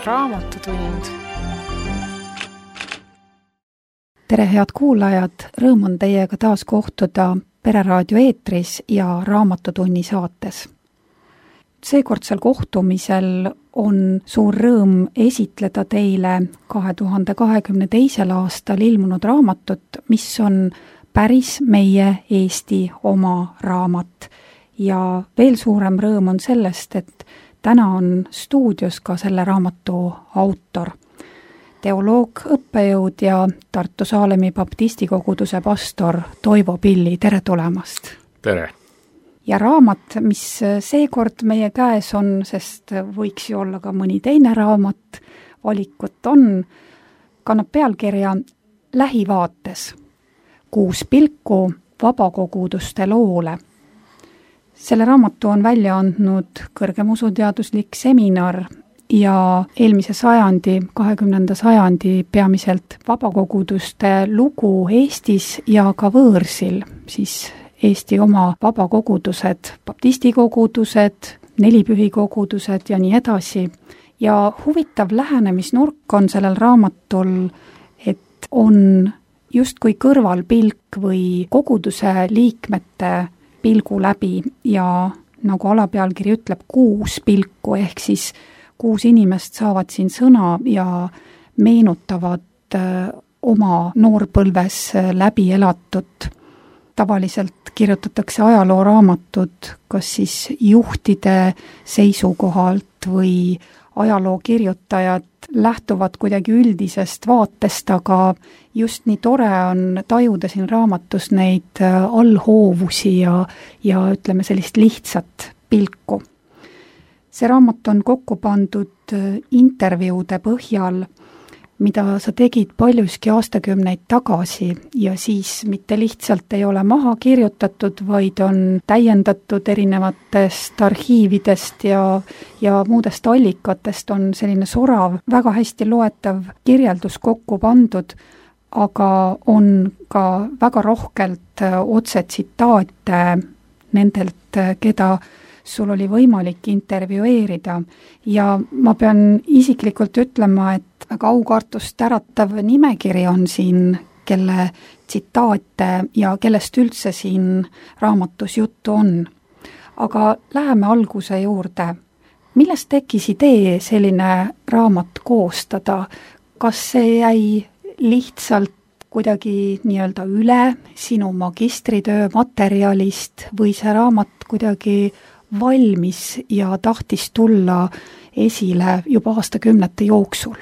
Raamatutund. Tere, head kuulajad! Rõõm on teiega taas kohtuda Pereraadio eetris ja Raamatutunni saates. Seekordsel kohtumisel on suur rõõm esitleda teile 2022. aastal ilmunud raamatut, mis on päris meie Eesti oma raamat. Ja veel suurem rõõm on sellest, et täna on stuudios ka selle raamatu autor. Teoloog, õppejõud ja Tartu Saalemi baptistikoguduse pastor Toivo Pilli, tere tulemast! Tere! Ja raamat, mis seekord meie käes on, sest võiks ju olla ka mõni teine raamat, valikut on, kannab pealkirja Lähivaates. 6 pilku vabakoguduste loole. Selle raamatu on välja andnud kõrgem usuteaduslik seminar ja eelmise sajandi, 20. sajandi peamiselt vabakoguduste lugu Eestis ja ka võõrsil, siis Eesti oma vabakogudused, baptistikogudused, nelipühikogudused ja nii edasi. Ja huvitav lähenemisnurk on sellel raamatul, et on justkui kõrvalpilk või koguduse liikmete pilgu läbi ja nagu alapealkiri ütleb, 6 pilku ehk siis 6 inimest saavad siin sõna ja meenutavad oma noorpõlves läbi elatut. Tavaliselt kirjutatakse ajalooraamatud kas siis juhtide seisukohalt või ajalookirjutajad lähtuvad kuidagi üldisest vaatest, aga just nii tore on tajuda siin raamatus neid allhoovusi ja ütleme sellist lihtsat pilku. See raamat on kokku pandud intervjuude põhjal, mida sa tegid paljuski aastakümneid tagasi ja siis mitte lihtsalt ei ole maha kirjutatud, vaid on täiendatud erinevatest arhiividest ja muudest allikatest on selline sorav, väga hästi loetav kirjeldus kokku pandud, aga on ka väga rohkelt otsetsitaate nendelt, keda sul oli võimalik intervjueerida ja ma pean isiklikult ütlema, et väga aukartust äratav nimekiri on siin, kelle tsitaate ja kellest üldse siin raamatus juttu on. Aga läheme alguse juurde. Millest tekkis idee selline raamat koostada? Kas see jäi lihtsalt kuidagi nii-öelda üle sinu magistritöö materjalist või see raamat kuidagi valmis ja tahtis tulla esile juba aastakümnete jooksul?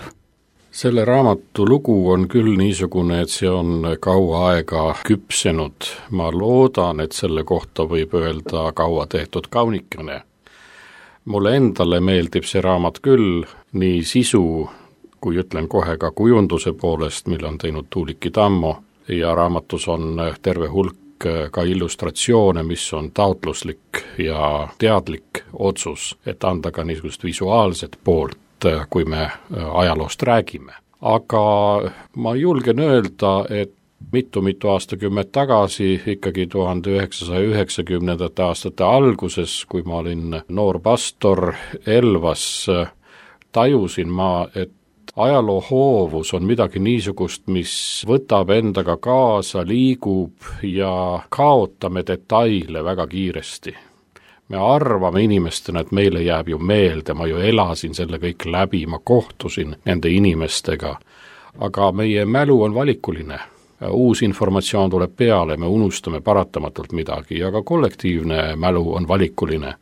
Selle raamatu lugu on küll niisugune, et see on kaua aega küpsenud. Ma loodan, et selle kohta võib öelda kaua tehtud kaunikene. Mulle endale meeldib see raamat küll, nii sisu, kui ütlen kohe ka kujunduse poolest, mille on teinud Tuuliki Tammo, ja raamatus on terve hulk ka illustratsioone, mis on taotluslik ja teadlik otsus, et anda ka niisugust visuaalset poolt, kui me ajaloost räägime. Aga ma julgen öelda, et mitu aastakümmet tagasi, ikkagi 1990. aastate alguses, kui ma olin noor pastor Elvas, tajusin ma, et ajaloo hoovus on midagi niisugust, mis võtab endaga kaasa, liigub ja kaotame detaile väga kiiresti. Me arvame inimestena, et meile jääb ju meelde, ma ju elasin selle kõik läbi, ma kohtusin nende inimestega, aga meie mälu on valikuline. Uus informatsioon tuleb peale, me unustame paratamatult midagi, aga kollektiivne mälu on valikuline.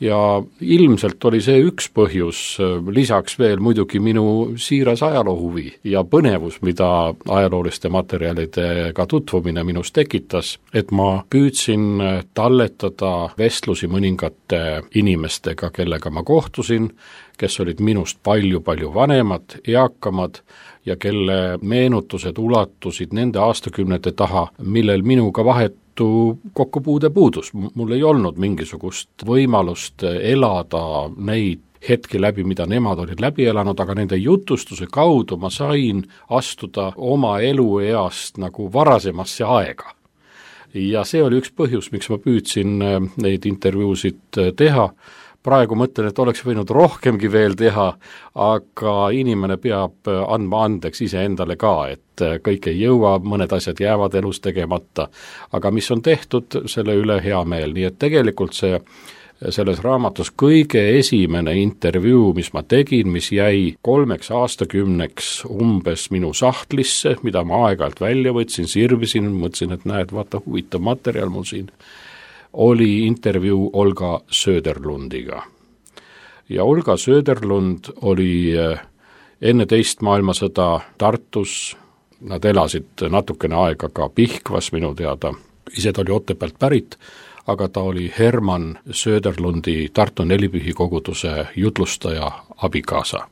Ja ilmselt oli see üks põhjus, lisaks veel muidugi minu siiras ajaloohuvi ja põnevus, mida ajalooliste materjalidega tutvumine minus tekitas, et ma püüdsin talletada vestlusi mõningate inimestega, kellega ma kohtusin, kes olid minust palju vanemad, eakamad ja kelle meenutused ulatusid nende aastakümnete taha, millel minuga vahetu kokkupuude puudus. Mul ei olnud mingisugust võimalust elada neid hetki läbi, mida nemad olid läbi elanud, aga nende jutustuse kaudu ma sain astuda oma elueast nagu varasemasse aega. Ja see oli üks põhjus, miks ma püüdsin neid intervjuusid teha. praegu mõtlen, et oleks võinud rohkemgi veel teha, aga inimene peab andma andeks iseendale ka, et kõik ei jõua, mõned asjad jäävad elus tegemata, aga mis on tehtud, selle üle hea meel, nii et tegelikult selles raamatus kõige esimene intervjuu, mis ma tegin, mis jäi 3 aastakümneks umbes minu sahtlisse, mida ma aeg-ajalt välja võtsin, sirvisin, mõtlesin, et näed, vaata, huvitav materjal mul siin, oli intervjuu Olga Söderlundiga. Ja Olga Söderlund oli enne teist maailmasõda Tartus, nad elasid natukene aega ka Pihkvas minu teada, ise ta oli Otepäält pärit, aga ta oli Herman Söderlundi Tartu Nelipühi koguduse jutlustaja abikaasa.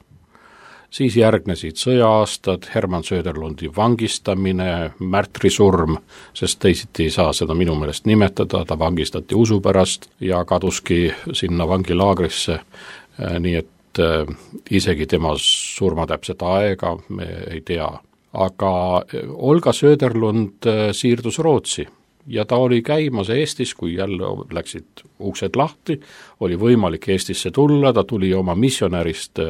Siis järgnesid sõja-aastad, Herman Söderlundi vangistamine, märtrisurm, sest teisiti ei saa seda minu meelest nimetada, ta vangistati usu pärast ja kaduski sinna vangilaagrisse, nii et isegi tema surma täpset aega me ei tea. Aga Olga Söderlund siirdus Rootsi. Ja ta oli käimas Eestis, kui jälle läksid uksed lahti, oli võimalik Eestisse tulla, ta tuli oma missionärist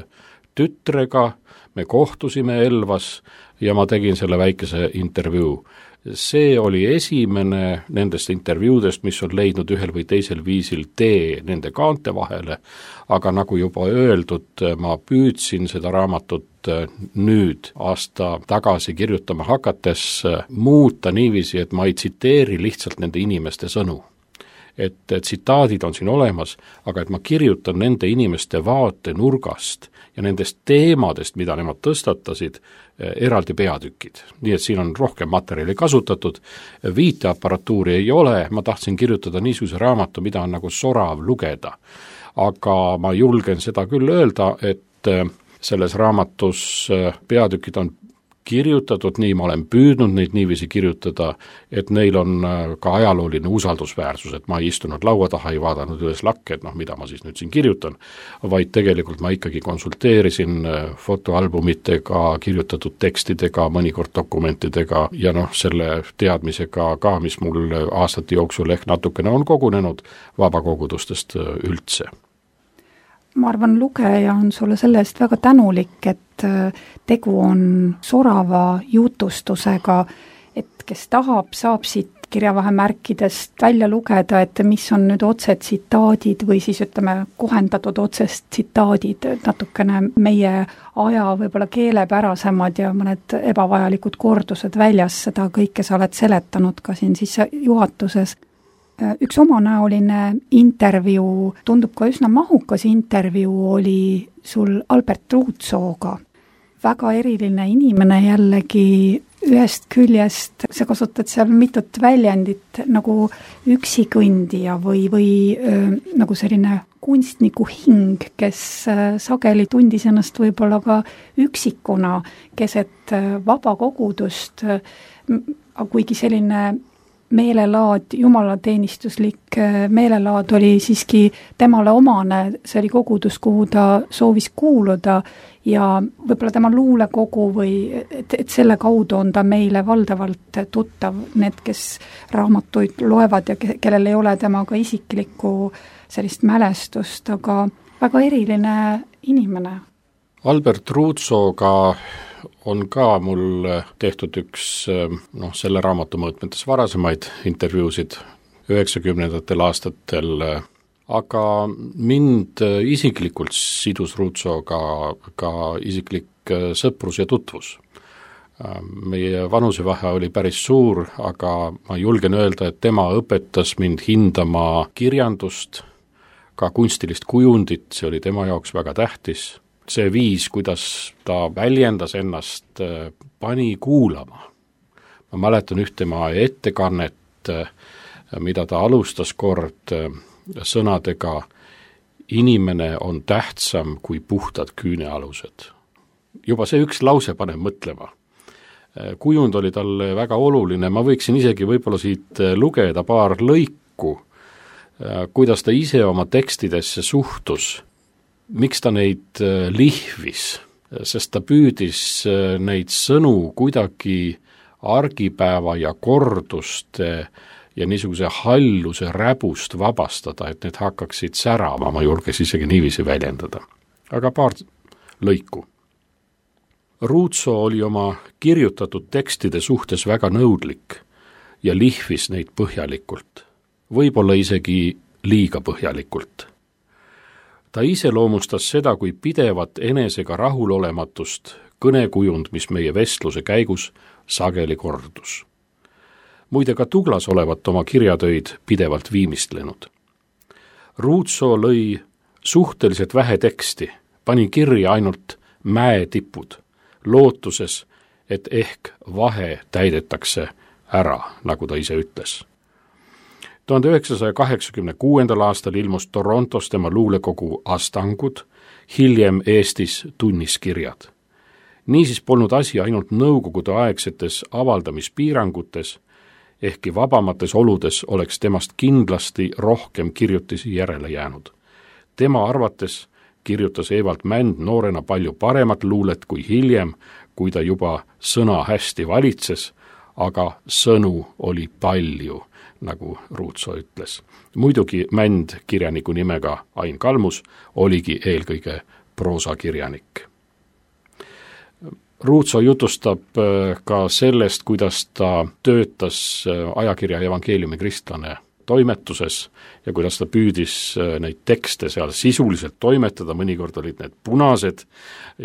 tütrega, me kohtusime Elvas ja ma tegin selle väikese intervjuu. See oli esimene nendest intervjuudest, mis on leidnud ühel või teisel viisil tee nende kaante vahele, aga nagu juba öeldud, ma püüdsin seda raamatut nüüd aasta tagasi kirjutama hakates muuta niiviisi, et ma ei tsiteeri lihtsalt nende inimeste sõnu. Et tsitaadid on siin olemas, aga et ma kirjutan nende inimeste vaatenurgast ja nendest teemadest, mida nemad tõstatasid, eraldi peatükid. Nii et siin on rohkem materjali kasutatud, viiteaparatuuri ei ole, ma tahtsin kirjutada niisuguse raamatu, mida on nagu sorav lugeda. Aga ma julgen seda küll öelda, et selles raamatus peatükid on kirjutatud nii, ma olen püüdnud neid niiviisi kirjutada, et neil on ka ajalooline usaldusväärsus, et ma ei istunud laua taha, ei vaadanud üles lakke, et mida ma siis nüüd siin kirjutan, vaid tegelikult ma ikkagi konsulteerisin fotoalbumitega, kirjutatud tekstidega, mõnikord dokumentidega ja selle teadmisega ka, mis mul aastate jooksul ehk natukene on kogunenud vabakogudustest üldse. Ma arvan, lugeja on sulle selle eest väga tänulik, et tegu on sorava jutustusega, et kes tahab, saab siit kirjavahemärkidest välja lugeda, et mis on nüüd otsetsitaadid või siis kohendatud otsetsitaadid, natukene meie aja võib-olla keelepärasemad ja mõned ebavajalikud kordused väljas, seda kõike sa oled seletanud ka siin sissejuhatuses. Üks omanäoline intervjuu, tundub ka üsna mahukas intervjuu, oli sul Albert Ruutsooga. Väga eriline inimene jällegi, ühest küljest sa kasutad seal mitut väljendit nagu üksikõndija või nagu selline kunstniku hing, kes sageli tundis ennast võib-olla ka üksikuna keset vabakogudust, kuigi selline meelelaad, jumalateenistuslik meelelaad oli siiski temale omane, see oli kogudus, kuhu ta soovis kuuluda ja võib-olla tema luulekogu või et selle kaudu on ta meile valdavalt tuttav, need, kes raamatuid loevad ja kellel ei ole temaga isiklikku sellist mälestust, aga väga eriline inimene. Albert Ruutsooga on ka mul tehtud üks selle raamatu mõõtmetes varasemaid intervjuusid 90. aastatel, aga mind isiklikult sidus Ruutsooga ka isiklik sõprus ja tutvus. Meie vanusevahe oli päris suur, aga ma julgen öelda, et tema õpetas mind hindama kirjandust, ka kunstilist kujundit, see oli tema jaoks väga tähtis. See viis, kuidas ta väljendas ennast, pani kuulama. Ma mäletan üht tema ettekannet, mida ta alustas kord sõnadega: inimene on tähtsam kui puhtad küünealused. Juba see üks lause paneb mõtlema. Kujund oli talle väga oluline, ma võiksin isegi võib-olla siit lugeda paar lõiku, kuidas ta ise oma tekstidesse suhtus. Miks ta neid lihvis, sest ta püüdis neid sõnu kuidagi argipäeva ja korduste ja niisuguse halluse räbust vabastada, et need hakkaksid särama, ma julges isegi niiviisi väljendada. Aga paar lõiku. Ruutso oli oma kirjutatud tekstide suhtes väga nõudlik ja lihvis neid põhjalikult, võib-olla isegi liiga põhjalikult. Ta iseloomustas seda kui pidevat enesega rahulolematust, kõnekujund, mis meie vestluse käigus sageli kordus. Muide ka Tuglas olevat oma kirjatöid pidevalt viimistlenud. Ruutso lõi suhteliselt vähe teksti, pani kirja ainult mäetipud, lootuses, et ehk vahe täidetakse ära, nagu ta ise ütles. 1986. aastal ilmus Torontos tema luulekogu Astangud, hiljem Eestis tunniskirjad. Niisiis polnud asi ainult nõukogude aegsetes avaldamispiirangutes, ehkki vabamates oludes oleks temast kindlasti rohkem kirjutisi järele jäänud. Tema arvates kirjutas Evald Mänd noorena palju paremat luulet kui hiljem, kui ta juba sõna hästi valitses, aga sõnu oli palju, nagu Ruutso ütles. Muidugi Mänd kirjaniku nimega Ain Kalmus oligi eelkõige proosakirjanik. Ruutso jutustab ka sellest, kuidas ta töötas ajakirja Evangeeliumi kristlane toimetuses ja kuidas ta püüdis neid tekste seal sisuliselt toimetada, mõnikord olid need punased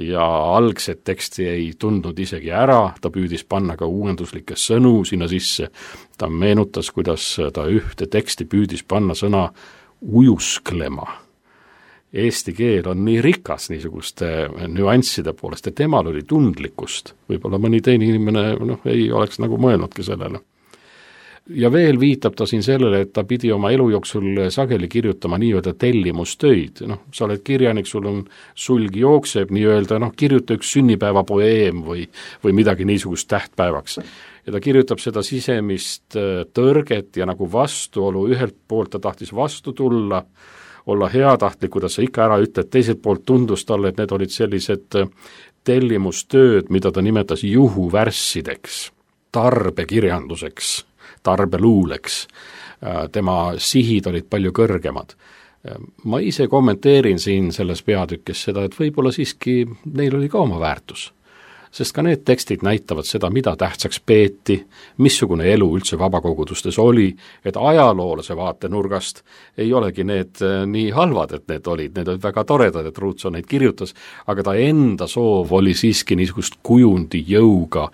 ja algset teksti ei tundnud isegi ära, ta püüdis panna ka uuenduslikke sõnu sinna sisse. Ta meenutas, kuidas ta ühte teksti püüdis panna sõna ujusklema. Eesti keel on nii rikas niisuguste nüansside poolest, et temal oli tundlikkust. Võib-olla mõni teine inimene ei oleks nagu mõelnudki sellele. Ja veel viitab ta siin sellele, et ta pidi oma elu jooksul sageli kirjutama nii-öelda tellimustöid. Sa oled kirjanik, sulg jookseb nii-öelda, kirjuta üks sünnipäevapoeem või midagi niisugust tähtpäevaks. Ja ta kirjutab seda sisemist tõrget ja nagu vastuolu. Ühelt poolt ta tahtis vastu tulla, olla heatahtlik, kuidas sa ikka ära ütled, teiselt poolt tundus talle, et need olid sellised tellimustööd, mida ta nimetas juhuvärssideks, tarbekirjanduseks, tarbeluuleks. Tema sihid olid palju kõrgemad. Ma ise kommenteerin siin selles peatükis seda, et võib-olla siiski neil oli ka oma väärtus. Sest ka need tekstid näitavad seda, mida tähtsaks peeti, missugune elu üldse vabakogudustes oli, et ajaloolase vaatenurgast ei olegi need nii halvad, et need olid väga toredad, et Ruutso neid kirjutas, aga ta enda soov oli siiski niisugust kujundi jõuga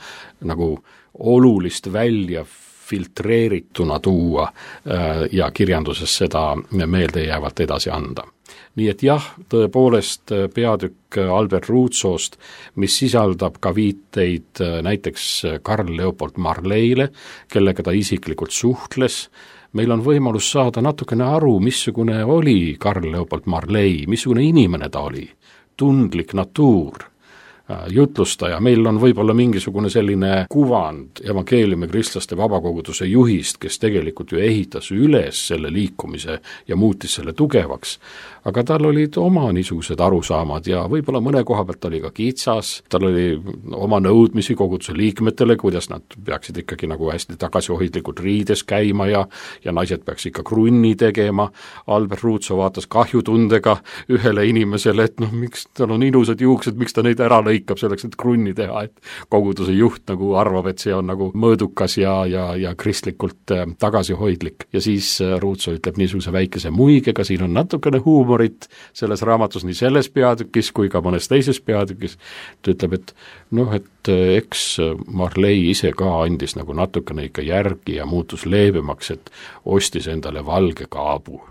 nagu olulist välja filtreerituna tuua ja kirjanduses seda meeldejäävalt edasi anda. Nii et jah, tõepoolest peatükk Albert Ruutsost, mis sisaldab ka viiteid näiteks Karl Leopold Marleyle, kellega ta isiklikult suhtles. Meil on võimalus saada natukene aru, missugune oli Karl Leopold Marley, missugune inimene ta oli, tundlik natuur, jutlustaja. Meil on võib-olla mingisugune selline kuvand evangeeliumi kristlaste vabakoguduse juhist, kes tegelikult ju ehitas üles selle liikumise ja muutis selle tugevaks. Aga tal olid oma niisugused arusaamad ja võib-olla mõne koha pealt oli ka kitsas, tal oli oma nõudmisi koguduse liikmetele, kuidas nad peaksid ikkagi nagu hästi tagasihoidlikult riides käima ja naised peaks ikka krunni tegema. Albert Ruutso vaatas kahjutundega ühele inimesele, et miks tal on ilusad juuksed, miks ta neid ära lõikab selleks, et krunni teha, et koguduse juht nagu arvab, et see on nagu mõõdukas ja kristlikult tagasihoidlik. Ja siis Ruutso ütleb niisuguse väikese muigega, siin on natukene huumorit selles raamatus nii selles peatükis kui ka mõnes teises peatükis. Ta ütleb, et eks Marley ise ka andis nagu natukene ikka järgi ja muutus leebemaks, et ostis endale valge kaabu.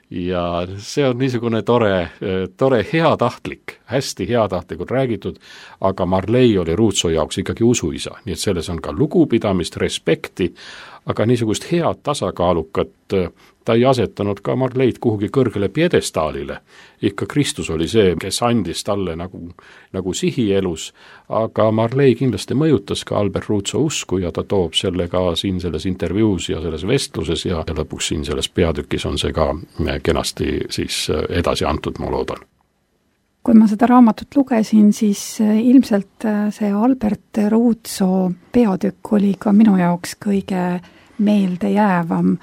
Ja see on niisugune tore heatahtlik, hästi heatahtlikult räägitud, aga Marley oli Ruutso jaoks ikkagi usuisa, nii et selles on ka lugupidamist, respekti, aga niisugust head tasakaalukat ta ei asetanud ka Marleyt kuhugi kõrgele piedestaalile. Ikka Kristus oli see, kes andis talle nagu sihi elus, aga Marley kindlasti mõjutas ka Albert Ruutso usku ja ta toob selle ka siin selles intervjuus ja selles vestluses ja lõpuks siin selles peatükis on see ka kenasti siis edasi antud, ma loodan. Kui ma seda raamatut lugesin, siis ilmselt see Albert Ruutso peatükk oli ka minu jaoks kõige meeldejäävam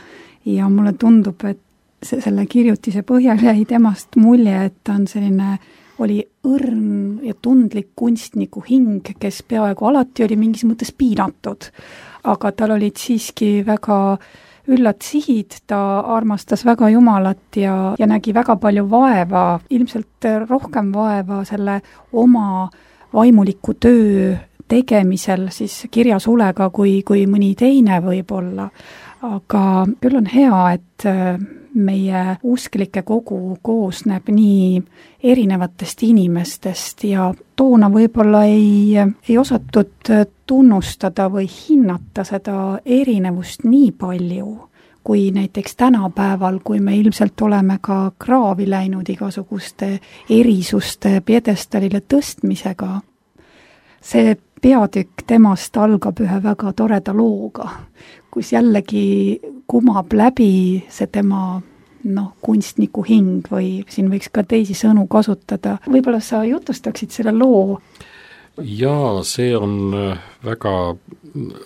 ja mulle tundub, et selle kirjutise põhjal jäi temast mulje, et ta on oli õrn ja tundlik kunstniku hing, kes peaaegu alati oli mingis mõttes piinatud, aga tal olid siiski väga üllad sihid, ta armastas väga Jumalat ja nägi väga palju vaeva, ilmselt rohkem vaeva selle oma vaimuliku töö tegemisel siis kirjasulega kui mõni teine võib-olla. Aga küll on hea, et meie usklike kogu koosneb nii erinevatest inimestest ja toona võib-olla ei osatud tunnustada või hinnata seda erinevust nii palju, kui näiteks tänapäeval, kui me ilmselt oleme ka kraavi läinud igasuguste erisuste pjedestaalile tõstmisega. See peatükk temast algab ühe väga toreda looga, kus jällegi kumab läbi see tema kunstniku hing või siin võiks ka teisi sõnu kasutada. Võib-olla sa jutustaksid selle loo? Jaa, see on väga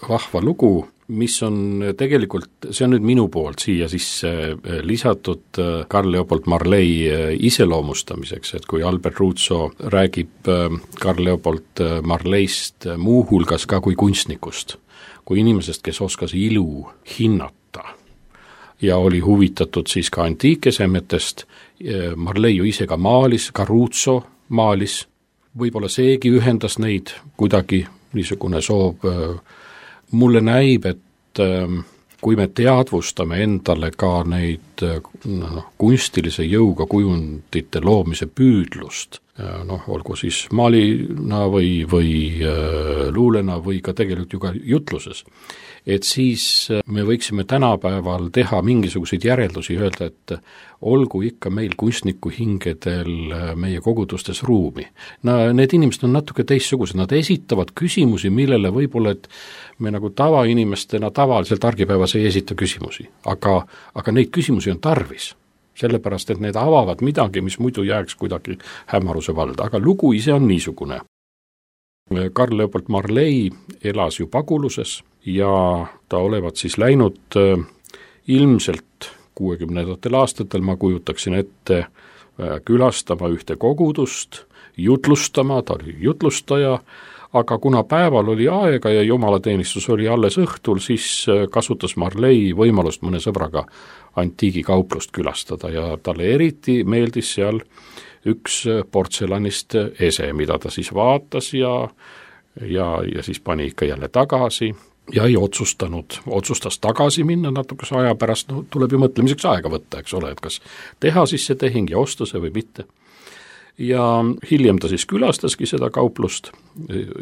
vahva lugu, mis on tegelikult, see on nüüd minu poolt siia sisse lisatud Carl Leopold Marley iseloomustamiseks, et kui Albert Ruutso räägib Carl Leopold Marleyst muuhulgas ka kui kunstnikust, kui inimesest, kes oskas ilu hinnata ja oli huvitatud siis ka antiikesemetest, Marley ju ise ka maalis, ka Ruutso maalis, võib-olla seegi ühendas neid kuidagi niisugune soov. Mulle näib, et kui me teadvustame endale ka neid kunstilise jõuga kujundite loomise püüdlust, olgu siis maalina või luulena või ka tegelikult ju ka jutluses, et siis me võiksime tänapäeval teha mingisuguseid järeldusi, öelda, et olgu ikka meil kunstniku hingedel meie kogudustes ruumi. Need inimesed on natuke teistsugused, nad esitavad küsimusi, millele võib-olla, et me nagu tavainimestena tavaliselt argipäevas ei esita küsimusi, aga neid küsimusi on tarvis, sellepärast et need avavad midagi, mis muidu jääks kuidagi hämaruse valda, aga lugu ise on niisugune. Carl Leopold Marley elas ju paguluses ja ta olevat siis läinud ilmselt 60. aastatel, ma kujutaksin ette, külastama ühte kogudust, jutlustama, ta oli jutlustaja, aga kuna päeval oli aega ja jumalateenistus oli alles õhtul, siis kasutas Marley võimalust mõne sõbraga antiigikauplust külastada ja talle eriti meeldis seal üks portselanist ese, mida ta siis vaatas ja siis pani ikka jälle tagasi ja ei otsustas tagasi minna natukese aja pärast, tuleb ju mõtlemiseks aega võtta, eks ole, et kas teha siis see tehing ja osta see või mitte. Ja hiljem ta siis külastaski seda kauplust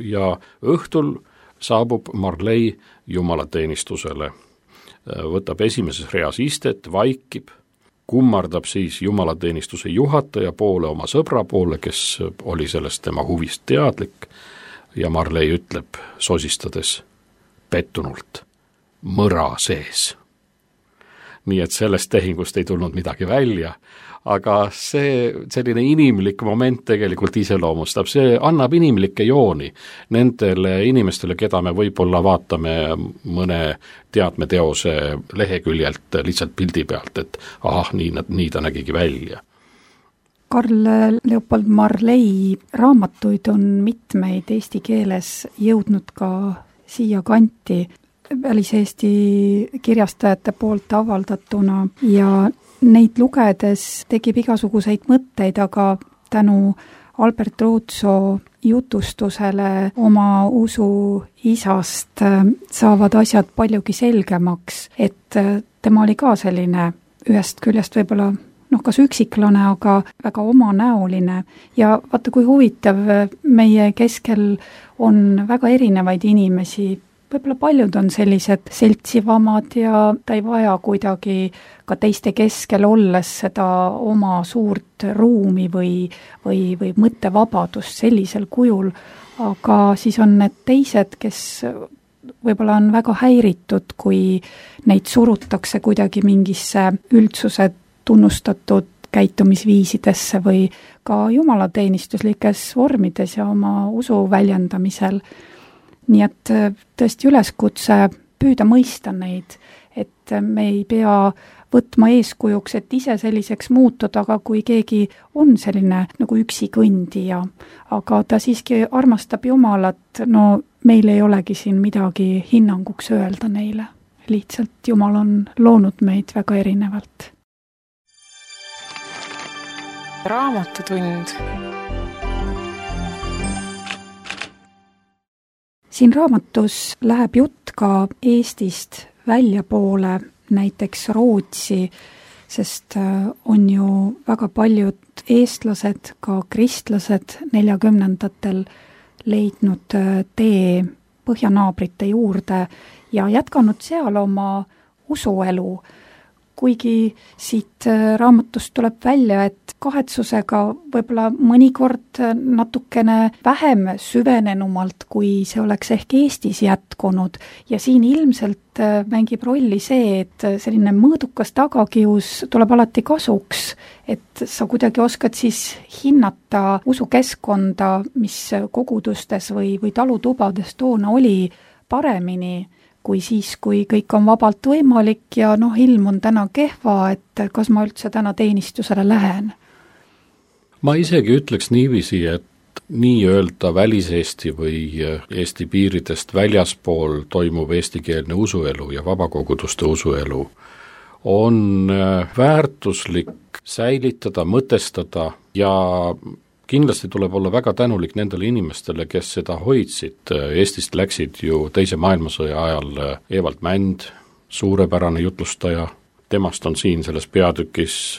ja õhtul saabub Marley jumalateenistusele, võtab esimeses reas istet, vaikib, kummardab siis jumalateenistuse juhataja poole, oma sõbra poole, kes oli sellest tema huvist teadlik ja Marley ütleb sosistades pettunult, mõra sees. Nii et sellest tehingust ei tulnud midagi välja, aga see selline inimlik moment tegelikult iseloomustab, see annab inimlikke jooni nendele inimestele, keda me võib-olla vaatame mõne teatmeteose leheküljelt lihtsalt pildi pealt, et nii ta nägigi välja. Carl Leopold Marley raamatuid on mitmeid eesti keeles jõudnud ka siia kanti väliseesti kirjastajate poolt avaldatuna ja neid lugedes tekib igasuguseid mõtteid, aga tänu Albert Ruutso jutustusele oma usu isast saavad asjad paljugi selgemaks, et tema oli ka selline ühest küljest võib-olla kas üksiklane, aga väga omanäoline ja vaata, kui huvitav, meie keskel on väga erinevaid inimesi, võib-olla paljud on sellised seltsivamad ja ta ei vaja kuidagi ka teiste keskel olles seda oma suurt ruumi või mõttevabadust sellisel kujul, aga siis on need teised, kes võib-olla on väga häiritud, kui neid surutakse kuidagi mingisse üldsuse tunnustatud käitumisviisidesse või ka jumalateenistuslikes vormides ja oma usu väljendamisel. Nii et tõesti üleskutse püüda mõista neid, et me ei pea võtma eeskujuks, et ise selliseks muutuda, aga kui keegi on selline nagu üksikõndija, aga ta siiski armastab Jumalat, no meil ei olegi siin midagi hinnanguks öelda neile. Lihtsalt Jumal on loonud meid väga erinevalt. Raamatutund. Siin raamatus läheb jutt ka Eestist väljapoole, näiteks Rootsi, sest on ju väga paljud eestlased, ka kristlased 40ndatel leidnud tee põhjanaabrite juurde ja jätkanud seal oma usuelu. Kuigi siit raamatust tuleb välja, et kahetsusega võib-olla mõnikord natukene vähem süvenenumalt, kui see oleks ehk Eestis jätkunud. Ja siin ilmselt mängib rolli see, et selline mõõdukas tagakius tuleb alati kasuks, et sa kuidagi oskad siis hinnata usukeskkonda, mis kogudustes või talutubades toona oli paremini, kui siis, kui kõik on vabalt võimalik ja ilm on täna kehva, et kas ma üldse täna teenistusele lähen? Ma isegi ütleks niiviisi, et nii-öelda väliseesti või Eesti piiridest väljaspool toimuv eestikeelne usuelu ja vabakoguduste usuelu on väärtuslik säilitada, mõtestada ja kindlasti tuleb olla väga tänulik nendele inimestele, kes seda hoidsid. Eestist läksid ju teise maailmasõja ajal Evald Mänd, suurepärane jutlustaja. Temast on siin selles peatükis,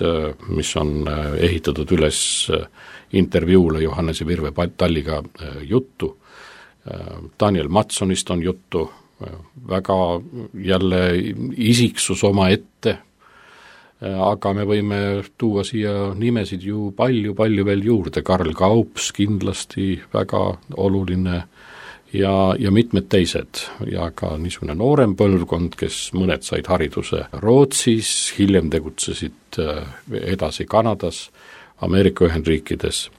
mis on ehitatud üles intervjuule Johannese Virve Talliga juttu. Daniel Matsonist on juttu, väga jälle isiksus oma ette, aga me võime tuua siia nimesid ju palju veel juurde. Karl Kaups kindlasti väga oluline ja mitmed teised ja ka niisugune noorem põlvkond, kes mõned said hariduse Rootsis, hiljem tegutsesid edasi Kanadas, Ameerika Ühendriikides.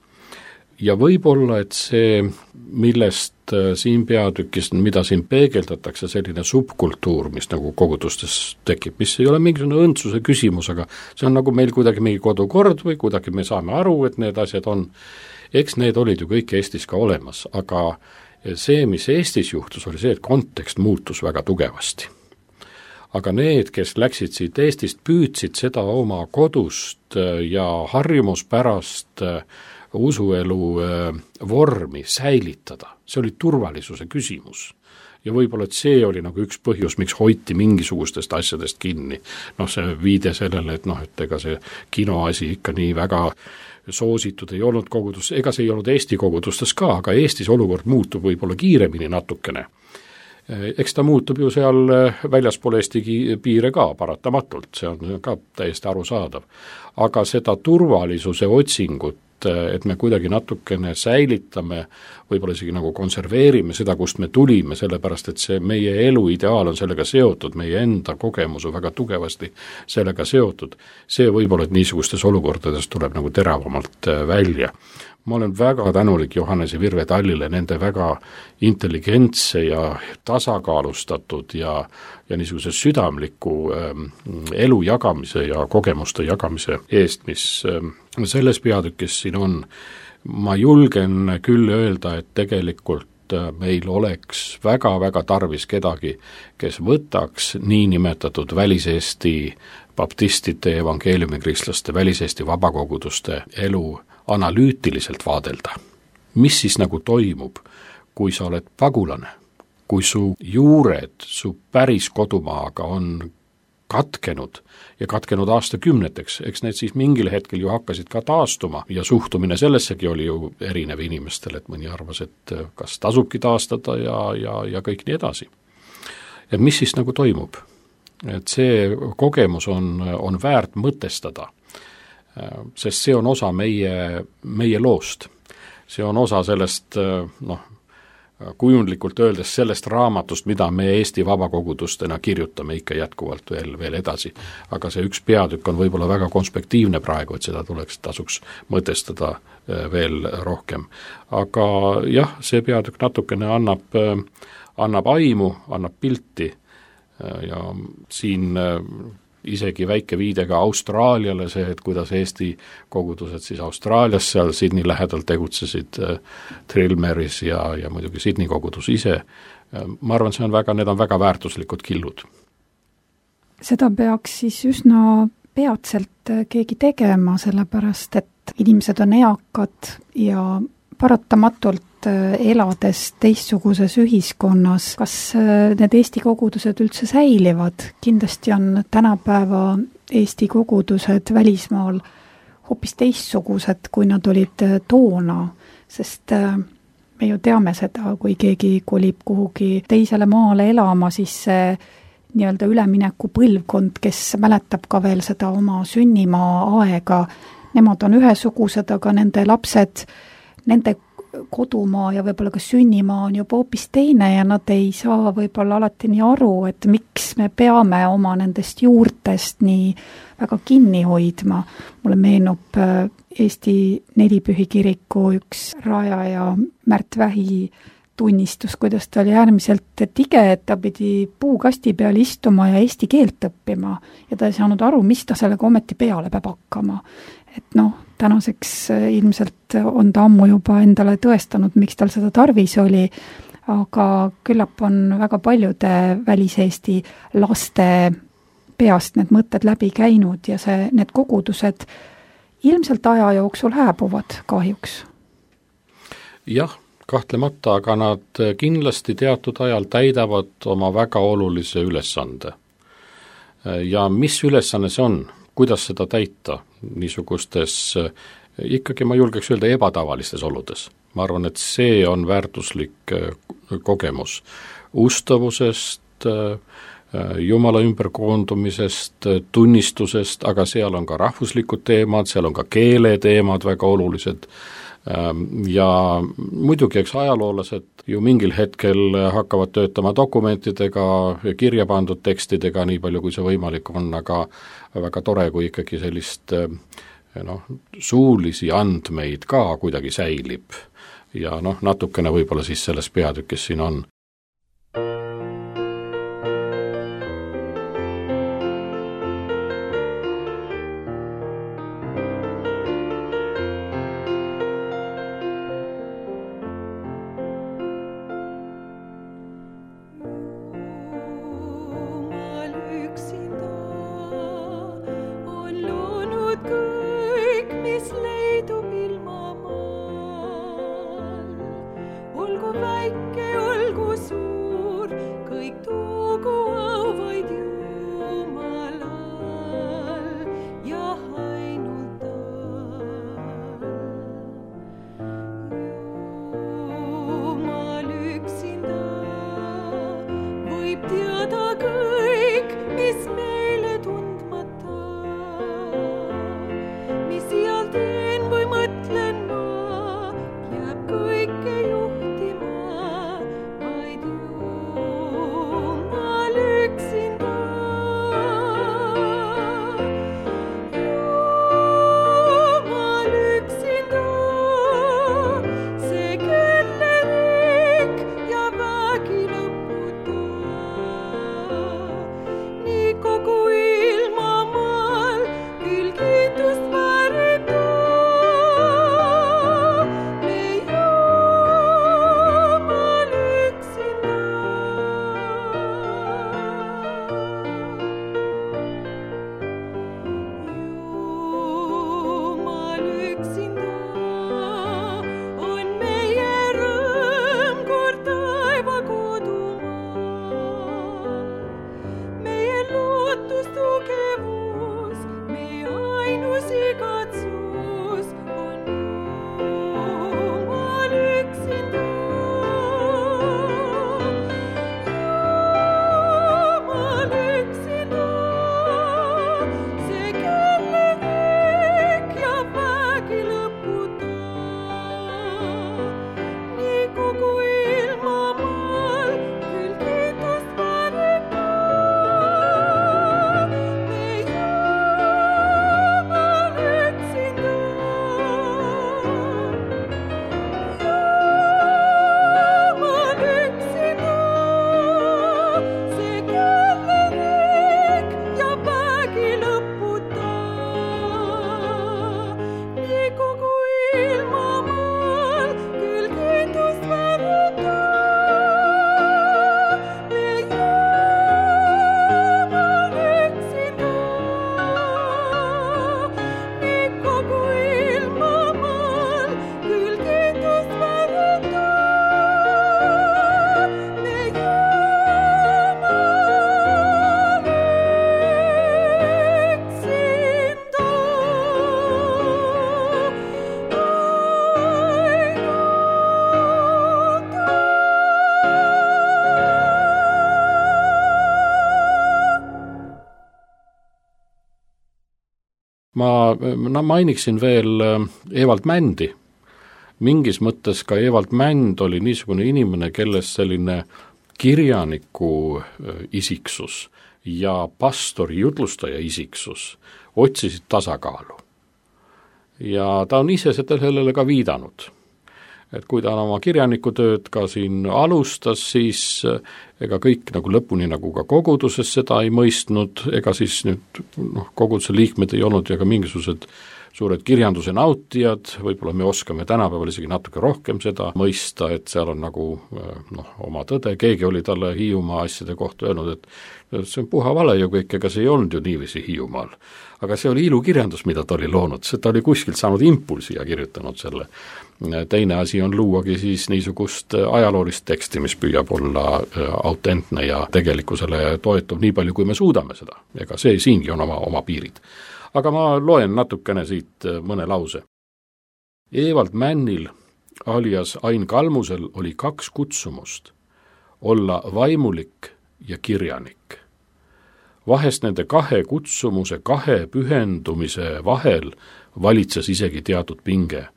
Ja võib-olla, et see, millest siin peatükis, mida siin peegeldatakse, selline subkultuur, mis nagu kogudustes tekib, mis ei ole mingisugune õndsuse küsimus, aga see on nagu meil kuidagi mingi kodukord või kuidagi me saame aru, et need asjad on, eks need olid ju kõik Eestis ka olemas, aga see, mis Eestis juhtus, oli see, et kontekst muutus väga tugevasti. Aga need, kes läksid siit Eestist, püüdsid seda oma kodust ja harjumuspärast usuelu vormi säilitada. See oli turvalisuse küsimus. Ja võib-olla, et see oli nagu üks põhjus, miks hoiti mingisugustest asjadest kinni. See viide sellele, et ega see kinoasi ikka nii väga soositud ei olnud kogudus, ega see ei olnud Eesti kogudustes ka, aga Eestis olukord muutub võib-olla kiiremini natukene. Eks ta muutub ju seal väljaspool Eesti piire ka paratamatult, see on ka täiesti arusaadav. Aga seda turvalisuse otsingut, et me kuidagi natukene säilitame, võib-olla isegi nagu konserveerime seda, kust me tulime, sellepärast et see meie elu ideaal on sellega seotud, meie enda kogemus on väga tugevasti sellega seotud. See võib-olla, et niisugustes olukordades tuleb nagu teravamalt välja. Ma olen väga tänulik Johannese Virve Tallile nende väga intelligentse ja tasakaalustatud ja niisuguse südamliku elu jagamise ja kogemuste jagamise eest, mis selles peatükis siin on. Ma julgen küll öelda, et tegelikult meil oleks väga tarvis kedagi, kes võtaks niinimetatud väliseesti baptistide, evangeeliumikristlaste, väliseesti vabakoguduste elu analüütiliselt vaadelda. Mis siis nagu toimub, kui sa oled pagulane, kui su juured, su päris kodumaaga on katkenud ja katkenud aastakümneteks, eks need siis mingil hetkel ju hakkasid ka taastuma ja suhtumine sellessegi oli ju erinev inimestel, et mõni arvas, et kas tasubki taastada ja kõik nii edasi. Et mis siis nagu toimub? Et see kogemus on väärt mõtestada, sest see on osa meie loost. See on osa sellest, kujundlikult öeldes sellest raamatust, mida me Eesti vabakogudustena kirjutame ikka jätkuvalt veel edasi. Aga see üks peatükk on võib-olla väga konspektiivne praegu, et seda tasuks mõtestada veel rohkem. Aga jah, see peatükk natukene annab aimu, annab pilti, ja siin isegi väike viide ka Austraaliale, see, et kuidas Eesti kogudused siis Austraalias seal Sydney lähedal tegutsesid, Trillmeris ja muidugi Sydney kogudus ise, ma arvan, need on väga väärtuslikud killud. Seda peaks siis üsna peatselt keegi tegema, sellepärast et inimesed on eakad ja paratamatult elades teistsuguses ühiskonnas, kas need Eesti kogudused üldse säilivad? Kindlasti on tänapäeva Eesti kogudused välismaal hoopis teistsugused, kui nad olid toona, sest me ju teame seda, kui keegi kolib kuhugi teisele maale elama, siis see nii-öelda ülemineku põlvkond, kes mäletab ka veel seda oma sünnimaa aega, nemad on ühesugused, aga nende lapsed, nende kodumaa ja võib-olla ka sünnimaa on juba hoopis teine ja nad ei saa võib-olla alati nii aru, et miks me peame oma nendest juurtest nii väga kinni hoidma. Mulle meenub Eesti Nelipühi kiriku üks rajaja Märt Vähi tunnistus, kuidas ta oli äärmiselt tige, et ta pidi puukasti peal istuma ja eesti keelt õppima ja ta ei saanud aru, mis ta sellega ometi peale peab hakkama. Et tänaseks ilmselt on ta ammu juba endale tõestanud, miks tal seda tarvis oli, aga küllap on väga paljude väliseesti laste peast need mõtted läbi käinud ja need kogudused ilmselt aja jooksul hääbuvad kahjuks. Jah, kahtlemata, aga nad kindlasti teatud ajal täidavad oma väga olulise ülesande. Ja mis ülesanne see on? Kuidas seda täita niisugustes, ikkagi ma julgeks öelda ebatavalistes oludes. Ma arvan, et see on väärtuslik kogemus ustavusest, Jumala ümberkoondumisest, tunnistusest, aga seal on ka rahvuslikud teemad, seal on ka keeleteemad väga olulised ja muidugi eks ajaloolased ju mingil hetkel hakkavad töötama dokumentidega, kirja pandud tekstidega, nii palju kui see võimalik on, aga väga tore, kui ikkagi sellist suulisi andmeid ka kuidagi säilib ja natukene võib-olla siis selles peatükis siin on. Ma mainiksin veel Evald Mändi. Mingis mõttes ka Evald Mänd oli niisugune inimene, kelles selline kirjaniku isiksus ja pastori jutlustaja isiksus otsisid tasakaalu. Ja ta on ise sellele ka viidanud. Et kui ta oma kirjanikutööd ka siin alustas, siis ega kõik nagu lõpuni nagu ka koguduses seda ei mõistnud, ega siis nüüd koguduse liikmed ei olnud ja ka mingisugused suured kirjanduse nautijad, võib-olla me oskame tänapäeval isegi natuke rohkem seda mõista, et seal on nagu oma tõde, keegi oli talle Hiiumaa asjade kohta öelnud, et see on puha vale ju kõik, ega see ei olnud ju niiviisi Hiiumaal. Aga see oli ilukirjandus, mida ta oli loonud, see ta oli kuskilt saanud impulsi ja kirjutanud selle. Teine asi on luuagi siis niisugust ajaloolist teksti, mis püüab olla autentne ja tegelikkusele toetub nii palju, kui me suudame seda. Ega see siingi on oma piirid. Aga ma loen natukene siit mõne lause. Evald Männil alias Ain Kalmusel oli 2 kutsumust, olla vaimulik ja kirjanik. Vahest nende 2 kutsumuse 2 pühendumise vahel valitses isegi teatud pinge.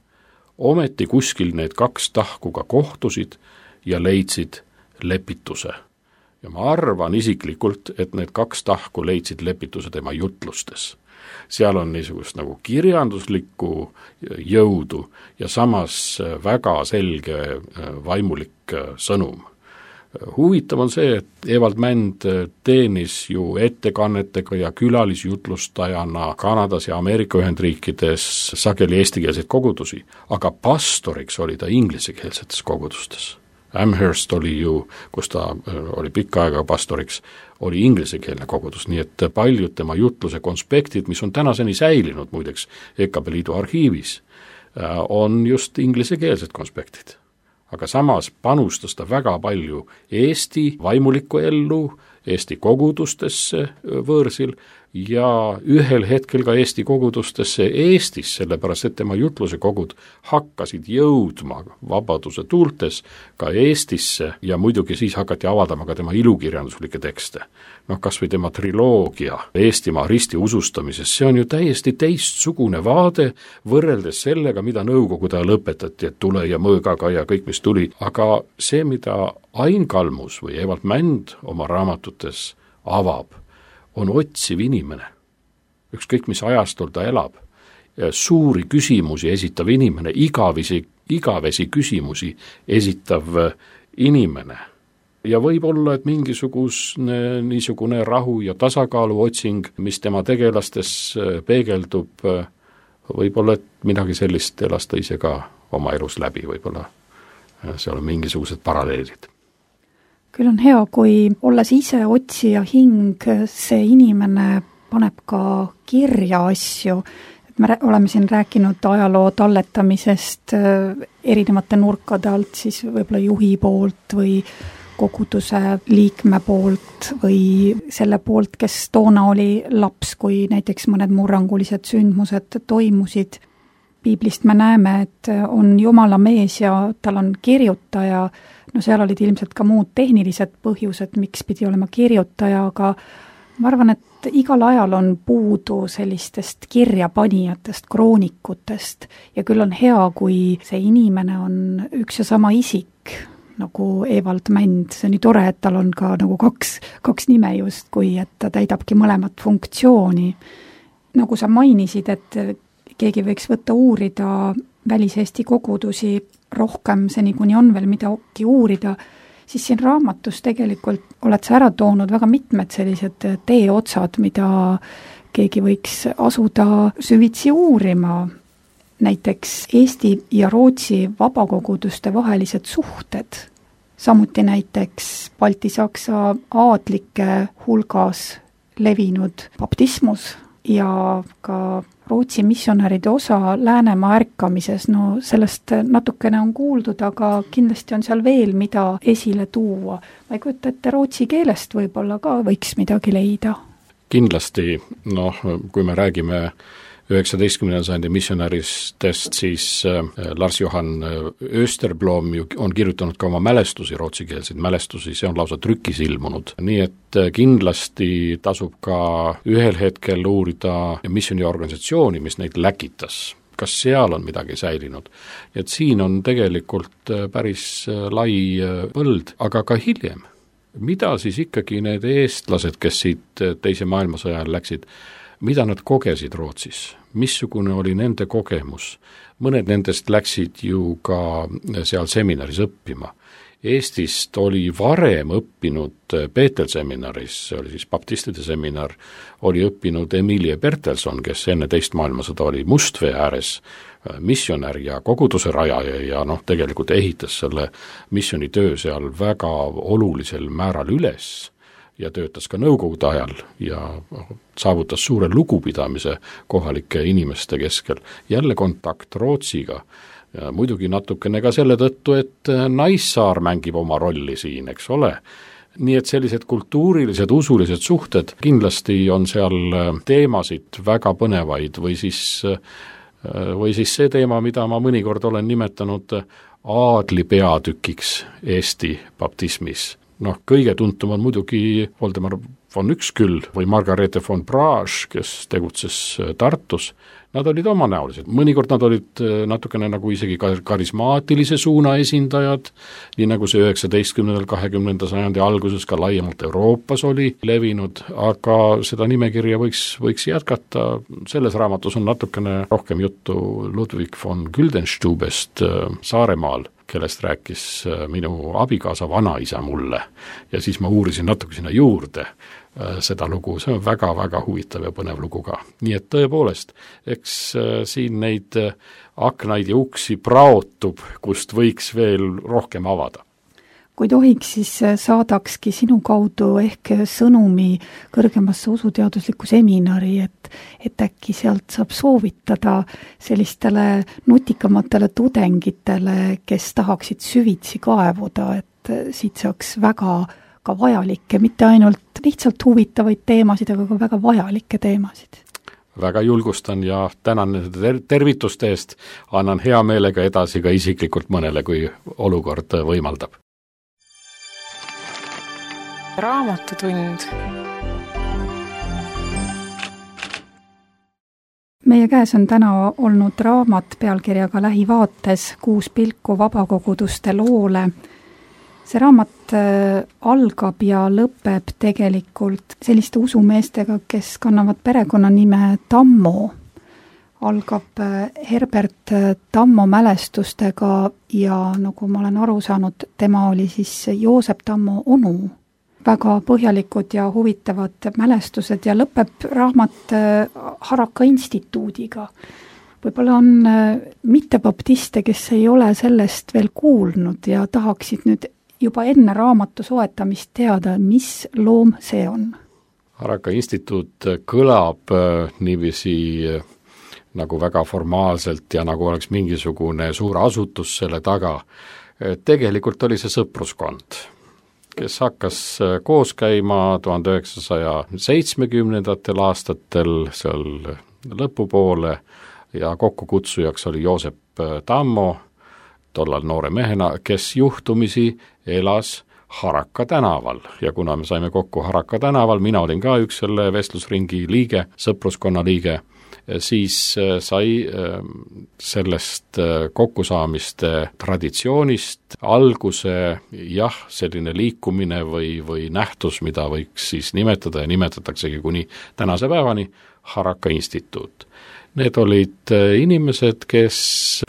Ometi kuskil need 2 tahku ka kohtusid ja leidsid lepituse. Ja ma arvan isiklikult, et need 2 tahku leidsid lepituse tema jutlustes. Seal on niisugust nagu kirjanduslikku jõudu ja samas väga selge vaimulik sõnum. Huvitav on see, et Evald Mänd teenis ju ettekannetega ja külalisjutlustajana Kanadas ja Ameerika Ühendriikides sageli eestikeelseid kogudusi, aga pastoriks oli ta inglisekeelsetes kogudustes. Amherst oli ju, kus ta oli pikka aega pastoriks, oli inglisekeelne kogudus, nii et paljud tema jutluse konspektid, mis on tänaseni säilinud muideks EKP Liidu arhiivis, on just inglisekeelsed konspektid. Aga samas panustas ta väga palju Eesti vaimulikku ellu, Eesti kogudustesse võõrsil ja ühel hetkel ka Eesti kogudustesse Eestis, sellepärast et tema jutluse kogud hakkasid jõudma vabaduse tuultes ka Eestisse ja muidugi siis hakati avaldama ka tema ilukirjanduslikke tekste. Kas või tema triloogia Eestimaa risti usustamises, see on ju täiesti teistsugune vaade võrreldes sellega, mida nõukogude ajal õpetati, et tule ja mõõgaga ja kõik, mis tuli, aga see, mida Ain Kalmus või Evald Mänd oma raamatutes avab, on otsiv inimene. Ükskõik, mis ajastul ta elab. Suuri küsimusi esitav inimene, igavesi küsimusi esitav inimene. Ja võib olla, et niisugune rahu ja tasakaalu otsing, mis tema tegelastes peegeldub, võib-olla, et midagi sellist elas ta ise ka oma elus läbi, võib-olla seal on mingisugused paralleelid. Küll on hea, kui olles ise otsija hing, see inimene paneb ka kirja asju. Me oleme siin rääkinud ajaloo talletamisest erinevate nurkade alt, siis võib-olla juhi poolt või koguduse liikme poolt või selle poolt, kes toona oli laps, kui näiteks mõned murrangulised sündmused toimusid. Piiblist me näeme, et on Jumala mees ja tal on kirjutaja. Seal olid ilmselt ka muud tehnilised põhjused, miks pidi olema kirjutaja, aga ma arvan, et igal ajal on puudu sellistest kirjapanijatest, kroonikutest ja küll on hea, kui see inimene on üks ja sama isik, nagu Evald Mänd. See on nii tore, et tal on ka nagu kaks nime just, kui et ta täidabki mõlemat funktsiooni. Nagu sa mainisid, et keegi võiks võtta uurida välis-Eesti kogudusi rohkem, see niikuinii on veel midagi uurida, siis siin raamatus tegelikult oled sa ära toonud väga mitmed sellised teeotsad, mida keegi võiks asuda süvitsi uurima. Näiteks Eesti ja Rootsi vabakoguduste vahelised suhted, samuti näiteks Balti-Saksa aadlike hulgas levinud baptismus ja ka Rootsi missionäride osa Läänemaa ärkamises. Sellest natukene on kuuldud, aga kindlasti on seal veel, mida esile tuua. Ma ei kujuta, et rootsi keelest võib-olla ka võiks midagi leida. Kindlasti, kui me räägime 19. sajandi missionäristest siis Lars-Johan Österblom ju on kirjutanud ka oma mälestusi, rootsikeelseid mälestusi, see on lausa trükis ilmunud. Nii et kindlasti tasub ka ühel hetkel uurida missioniorganisatsiooni, mis neid läkitas. Kas seal on midagi säilinud. Et siin on tegelikult päris lai põld, aga ka hiljem. Mida siis ikkagi need eestlased, kes siit teise maailmasõja ajal läksid, mida nad kogesid Rootsis? Missugune oli nende kogemus? Mõned nendest läksid ju ka seal seminaris õppima. Eestist oli varem õppinud Peetel seminaris, see oli siis baptistide seminar, oli õppinud Emilie Bertelson, kes enne teist maailmasõda oli Mustvee ääres missionär ja koguduse rajaja ja tegelikult ehitas selle missionitöö seal väga olulisel määral üles ja töötas ka nõukogude ajal ja saavutas suure lugupidamise kohalike inimeste keskel. Jälle kontakt Rootsiga. Ja muidugi natukene ka selle tõttu, et Naissaar mängib oma rolli siin, eks ole. Nii et sellised kultuurilised, usulised suhted kindlasti on seal teemasid väga põnevaid või siis see teema, mida ma mõnikord olen nimetanud aadli peatükiks Eesti baptismis. Kõige tuntum on muidugi Voldemar von Üksküll või Margarete von Braž, kes tegutses Tartus. Nad olid omanäolised, mõnikord nad olid natukene nagu isegi karismaatilise suuna esindajad, nii nagu see 19. 20. sajandi alguses ka laiemalt Euroopas oli levinud, aga seda nimekirja võiks jätkata. Selles raamatus on natukene rohkem juttu Ludwig von Güldenstubest Saaremaal, kellest rääkis minu abikaasa vanaisa mulle ja siis ma uurisin natuke sinna juurde seda lugu, see on väga-väga huvitav ja põnev lugu ka. Nii et tõepoolest, eks siin neid aknaid ja uksi praotub, kust võiks veel rohkem avada. Kui tohiks, siis saadakski sinu kaudu ehk sõnumi kõrgemasse usuteaduslikku seminari, et äkki sealt saab soovitada sellistele nutikamatele tudengitele, kes tahaksid süvitsi kaevuda, et siit saaks väga ka vajalikke, mitte ainult lihtsalt huvitavaid teemasid, aga ka väga vajalikke teemasid. Väga julgustan ja tänan nende tervituste eest, annan hea meelega edasi ka isiklikult mõnele, kui olukord võimaldab. Raamatutund. Meie käes on täna olnud raamat pealkirjaga Lähivaates 6 pilku vabakoguduste loole. See raamat algab ja lõpeb tegelikult selliste usumeestega, kes kannavad perekonnanime Tammo. Algab Herbert Tammo mälestustega ja nagu ma olen aru saanud, tema oli siis Joosep Tammo onu. Väga põhjalikud ja huvitavad mälestused ja lõpeb raamat Haraka instituudiga. Võib-olla on mittebaptiste, kes ei ole sellest veel kuulnud ja tahaksid nüüd juba enne raamatu soetamist teada, mis loom see on. Haraka instituut kõlab niiviisi nagu väga formaalselt ja nagu oleks mingisugune suur asutus selle taga. Tegelikult oli see sõpruskond, kes hakkas koos käima 1970. aastatel seal lõpupoole ja kokkukutsujaks oli Joosep Tammo, tollal noore mehena, kes juhtumisi elas Haraka tänaval ja kuna me saime kokku Haraka tänaval, mina olin ka üks selle vestlusringi liige, sõpruskonna liige, siis sai sellest kokkusaamiste traditsioonist alguse selline liikumine või nähtus, mida võiks siis nimetada ja nimetataksegi kuni tänase päevani Haraka instituut. Need olid inimesed, kes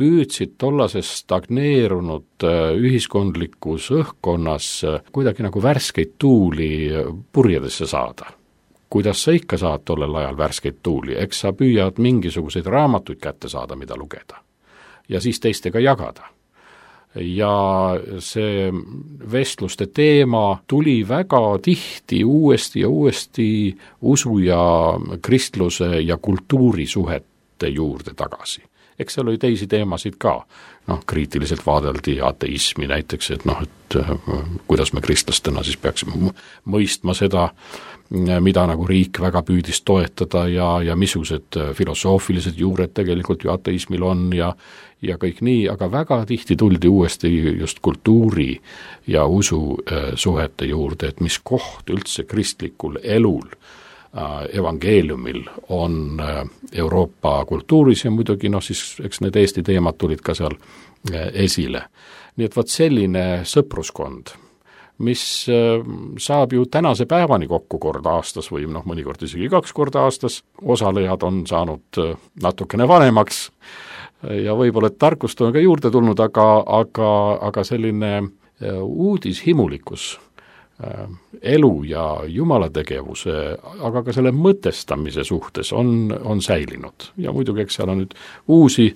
püüdsid tollases stagneerunud ühiskondlikus õhkkonnas kuidagi nagu värskeid tuuli purjedesse saada. Kuidas sa ikka saad tollel ajal värskeid tuuli, eks sa püüad mingisuguseid raamatuid kätte saada, mida lugeda ja siis teistega jagada. Ja see vestluste teema tuli väga tihti uuesti usu ja kristluse ja kultuuri suhete juurde tagasi. eks seal oli teisi teemasid ka. Kriitiliselt vaadeldi ateismi näiteks, et kuidas me kristlastena siis peaksime mõistma seda, mida nagu riik väga püüdis toetada ja missugused filosoofilised juured tegelikult ju ateismil on ja kõik nii, aga väga tihti tuldi uuesti just kultuuri ja usu suhete juurde, et mis koht üldse kristlikul elul, evangeeliumil on Euroopa kultuuris ja muidugi siis eks need Eesti teemad tulid ka seal esile. Nii et selline sõpruskond, mis saab ju tänase päevani kokku kord aastas või mõnikord isegi 2 korda aastas, osalejad on saanud natukene vanemaks ja võib-olla tarkust on ka juurde tulnud, aga selline uudishimulikkus elu ja Jumala tegevuse, aga ka selle mõtestamise suhtes on säilinud. Ja muidugi, eks seal on nüüd uusi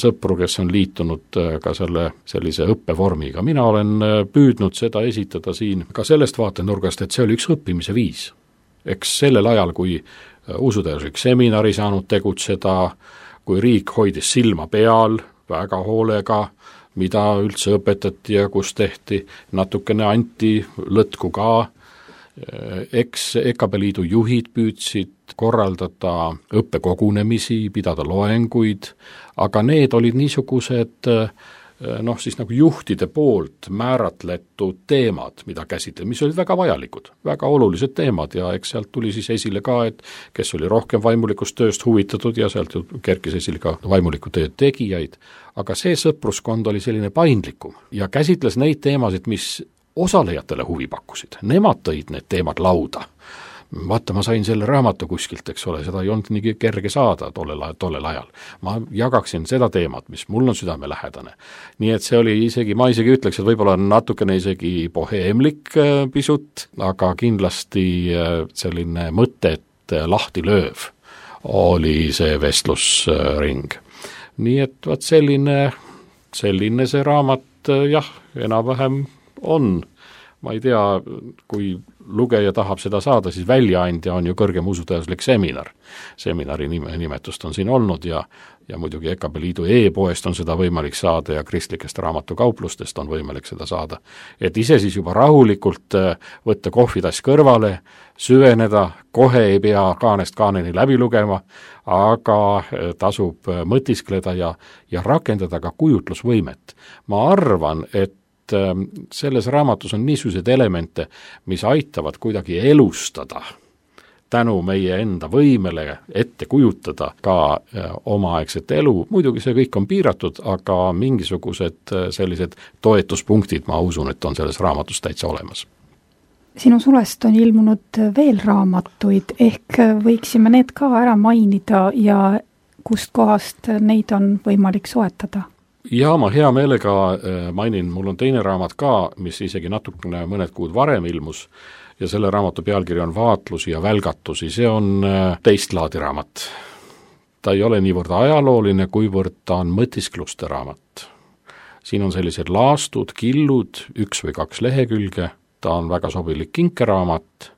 sõpru, kes on liitunud ka sellise õppevormiga. Mina olen püüdnud seda esitada siin ka sellest vaatenurgast, et see oli üks õppimise viis. Eks sellel ajal, kui usuteaduslik seminar ei saanud tegutseda, kui riik hoidis silma peal väga hoolega, mida üldse õpetati ja kus tehti, natukene anti lõtku ka, eks EKB Liidu juhid püüdsid korraldada õppekogunemisi, pidada loenguid, aga need olid niisugused siis nagu juhtide poolt määratletud teemad, mida käsitleda, mis olid väga vajalikud, väga olulised teemad ja eks sealt tuli siis esile ka, et kes oli rohkem vaimulikust tööst huvitatud ja sealt kerkis esile ka vaimuliku töö tegijaid, aga see sõpruskond oli selline paindlikum ja käsitles neid teemasid, mis osalejatele huvi pakkusid. Nemad tõid need teemad lauda. Vaata, ma sain selle raamatu kuskilt, eks ole, seda ei olnud nii kerge saada tollel ajal. Ma jagaksin seda teemat, mis mul on südamelähedane. Nii et see oli ma isegi ütleks, et võib-olla natukene isegi boheemlik pisut, aga kindlasti selline mõtet lahti lööv oli see vestlusring. Nii et selline see raamat enam-vähem on. Ma ei tea, kui lugeja tahab seda saada, siis väljaandja on ju kõrgem usuteaduslik seminar. Seminari nimetust on siin olnud ja muidugi EKB Liidu e-poest on seda võimalik saada ja kristlikest raamatukauplustest on võimalik seda saada. Et ise siis juba rahulikult võtta kohvitass kõrvale, süveneda, kohe ei pea kaanest kaaneni läbi lugema, aga tasub mõtiskleda ja rakendada ka kujutlusvõimet. Ma arvan, et selles raamatus on niisugused elemente, mis aitavad kuidagi elustada tänu meie enda võimele ette kujutada ka omaaegset elu. Muidugi see kõik on piiratud, aga mingisugused sellised toetuspunktid, ma usun, et on selles raamatus täitsa olemas. Sinu sulest on ilmunud veel raamatuid, ehk võiksime need ka ära mainida ja kust kohast neid on võimalik soetada? Ja ma hea meelega mainin, mul on teine raamat ka, mis isegi natukene mõned kuud varem ilmus ja selle raamatu pealkiri on Vaatlusi ja välgatusi. See on teist laadi raamat. Ta ei ole niivõrd ajalooline, kuivõrd ta on mõtiskluste raamat. Siin on sellised laastud, killud, 1 või 2 lehekülge, ta on väga sobilik kinkeraamat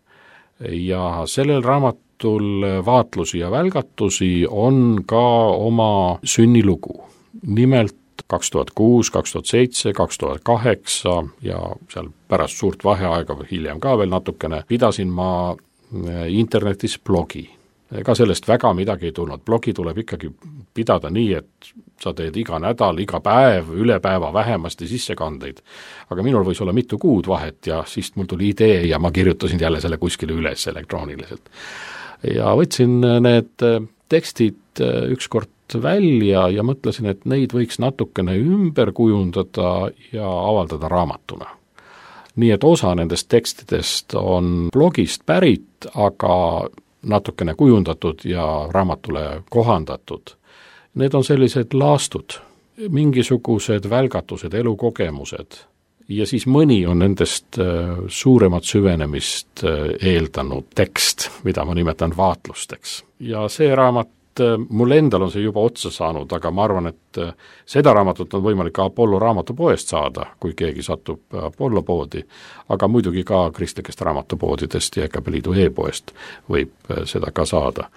ja sellel raamatul Vaatlusi ja välgatusi on ka oma sünnilugu. Nimelt 2006, 2007, 2008 ja seal pärast suurt vaheaega või hiljem ka veel natukene pidasin ma internetis blogi. Ega sellest väga midagi ei tulnud. Blogi tuleb ikkagi pidada nii, et sa teed iga nädal, iga päev, üle päeva vähemasti sissekandeid. Aga minul võis olla mitu kuud vahet ja siis mul tuli idee ja ma kirjutasin jälle selle kuskile üles elektrooniliselt. Ja võtsin need tekstid ükskord välja ja mõtlesin, et neid võiks natukene ümber kujundada ja avaldada raamatuna. Nii et osa nendest tekstidest on blogist pärit, aga natukene kujundatud ja raamatule kohandatud. Need on sellised laastud, mingisugused välgatused, elukogemused ja siis mõni on nendest suuremat süvenemist eeldanud tekst, mida ma nimetan vaatlusteks. Ja see raamat mul endal on see juba otsa saanud, aga ma arvan, et seda raamatut on võimalik ka Apollo raamatupoest saada, kui keegi satub Apollo poodi, aga muidugi ka kristlikest raamatupoodidest ja EKB Liidu e-poest võib seda ka saada.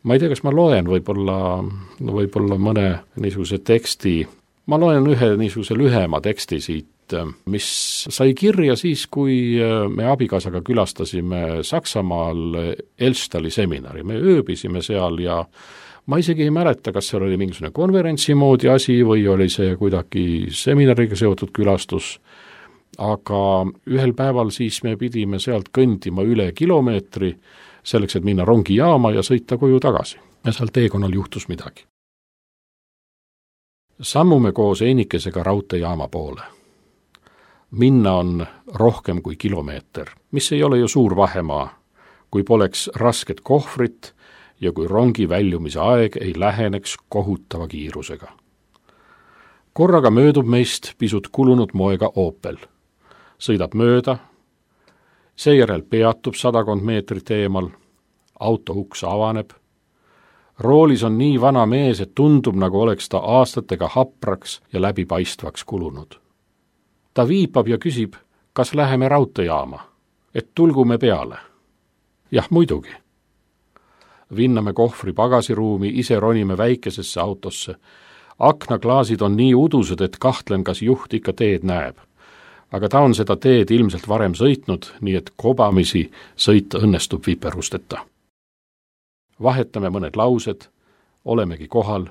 ma ei tea, kas ma loen võib-olla mõne niisuguse teksti, ma loen ühe niisuguse lühema teksti siit, mis sai kirja siis, kui me abikaasaga külastasime Saksamaal Elstali seminari. Me ööbisime seal ja ma isegi ei mäleta, kas seal oli mingisugune konverentsi moodi asi või oli see kuidagi seminariga seotud külastus, aga ühel päeval siis me pidime sealt kõndima üle kilomeetri selleks, et minna rongijaama ja sõita koju tagasi. Ja seal teekonnal juhtus midagi. Sammume koos Einikesega raudteejaama poole. Minna on rohkem kui kilomeeter, mis ei ole ju suur vahemaa, kui poleks rasket kohvrit ja kui rongi väljumise aeg ei läheneks kohutava kiirusega. Korraga möödub meist pisut kulunud moega Opel. Sõidab mööda, seejärel peatub 100 meetrit eemal, auto uks avaneb. Roolis on nii vana mees, et tundub, nagu oleks ta aastatega hapraks ja läbipaistvaks kulunud. Ta viipab ja küsib, kas läheme raudteejaama, et tulgume peale. Jah, muidugi. Vinname kohvri pagasiruumi, ise ronime väikesesse autosse. Aknaklaasid on nii udused, et kahtlen, kas juht ikka teed näeb. Aga ta on seda teed ilmselt varem sõitnud, nii et kobamisi sõita õnnestub viperusteta. Vahetame mõned laused, olemegi kohal,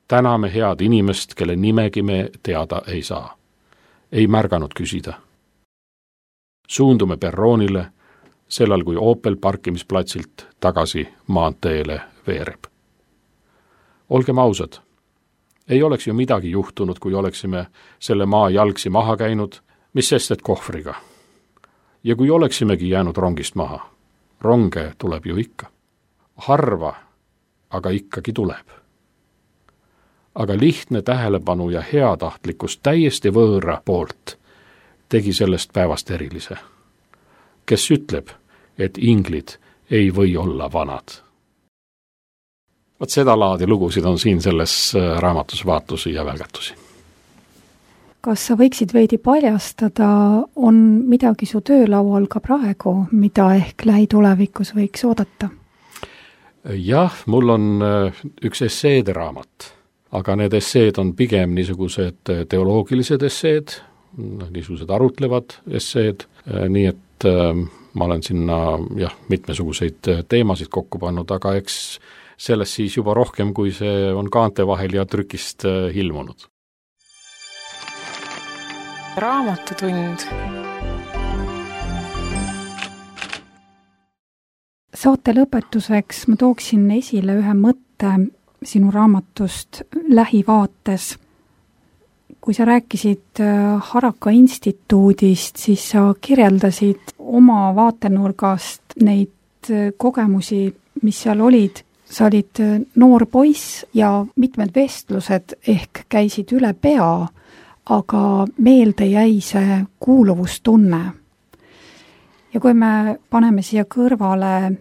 täname head inimest, kelle nimegi me teada ei saa. Ei märganud küsida. Suundume perroonile, sellal kui Opel parkimisplatsilt tagasi maanteele veereb. Olgem ausad, ei oleks ju midagi juhtunud, kui oleksime selle maa jalgsi maha käinud, mis sest, et kohvriga. Ja kui oleksimegi jäänud rongist maha, ronge tuleb ju ikka. Harva, aga ikkagi tuleb. Aga lihtne tähelepanu ja heatahtlikkus täiesti võõra poolt tegi sellest päevast erilise. Kes ütleb, et inglid ei või olla vanad. Vot seda laadi lugusid on siin selles raamatus vaatusi ja välgatusi. Kas sa võiksid veidi paljastada, on midagi su töölaual ka praegu, mida ehk lähitulevikus võiks oodata? Jah, mul on üks esseede raamat, aga need esseed on pigem niisugused teoloogilised esseed, niisugused arutlevad esseed, nii et ma olen sinna mitmesuguseid teemasid kokku pannud, aga eks sellest siis juba rohkem, kui see on kaante vahel ja trükist ilmunud. Raamatutund. Saate lõpetuseks ma tooksin esile ühe mõtte sinu raamatust Lähivaates. Kui sa rääkisid Haraka instituudist, siis sa kirjeldasid oma vaatenurgast neid kogemusi, mis seal olid. Sa olid noor poiss ja mitmed vestlused ehk käisid üle pea, aga meelde jäi see kuuluvustunne. Ja kui me paneme siia kõrvale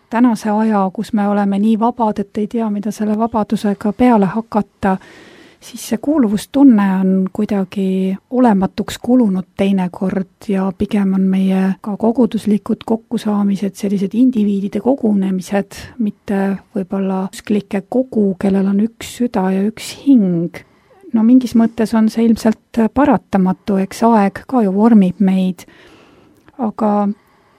tänase aja, kus me oleme nii vabad, et ei tea, mida selle vabadusega peale hakata, siis see kuuluvustunne on kuidagi olematuks kulunud teinekord ja pigem on meie ka koguduslikud kokkusaamised, sellised indiviidide kogunemised, mitte võib-olla usklike kogu, kellel on üks süda ja üks hing. No mingis mõttes on see ilmselt paratamatu, eks aeg ka ju vormib meid, aga